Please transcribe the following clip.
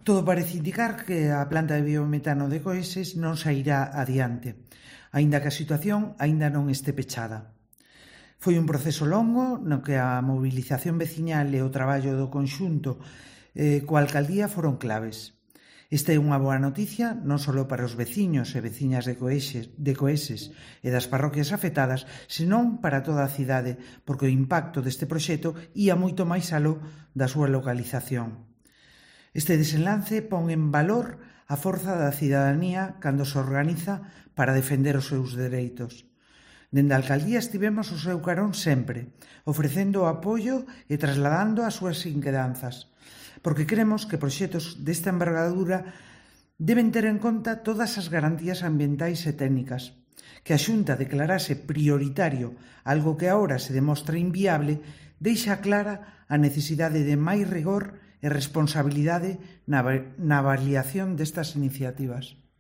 Todo parece indicar que a planta de biometano de Coeses non sairá adiante, aínda que a situación aínda non este pechada. Foi un proceso longo no que a mobilización veciñal e o traballo do conxunto coa alcaldía foron claves. Esta é unha boa noticia non só para os veciños e veciñas de Coeses e das parroquias afectadas, senón para toda a cidade, porque o impacto deste proxecto ía moito máis aló da súa localización. Este desenlace pon en valor a forza da cidadanía cando se organiza para defender os seus dereitos. Dende a alcaldía estivemos ao seu carón sempre, ofrecendo o apoio e trasladando as súas inquedanzas, porque cremos que proxectos desta envergadura deben ter en conta todas as garantías ambientais e técnicas. Que a Xunta declarase prioritario algo que agora se demostra inviable deixa clara a necesidade de máis rigor e responsabilidade na avaliación destas iniciativas.